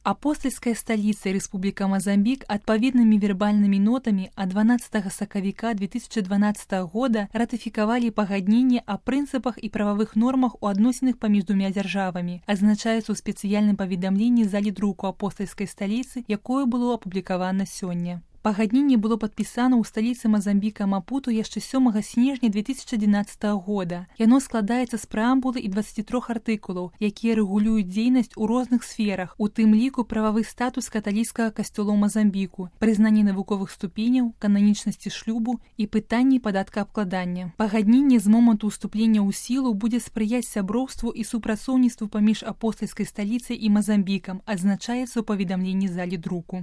Апостольская столица и Республика Мазамбік адпаведнымі вербальнымі нотамі ад 12 сакавіка 2012 года ратыфікавалі пагадненне аб прынцыпах і прававых нормах у адносінах паміж двумя дзяржавамі. Азначаецца ў спецыяльным паведамленні залі друку апостольскай сталіцы, якое было апублікавана сёння. Пагадненне было падпісана ў сталіцы Мазамбіка Мапуту яшчэ 7 снежня 2011 года. Яно складаецца з прэамбулы і 23 артыкулаў, якія рэгулююць дзейнасць у розных сферах, у тым ліку прававы статус каталіцкага касцёла ў Мазамбіку, прызнанне навуковых ступеняў, кананічнасці шлюбу і пытанні падаткаабкладання. Пагадненне з моманту ўступлення ў сілу будзе спрыяць сяброўству і супрацоўніцтву паміж апостольскай сталіцай і Мазамбікам, адзначаецца ў паведамленні залі друку.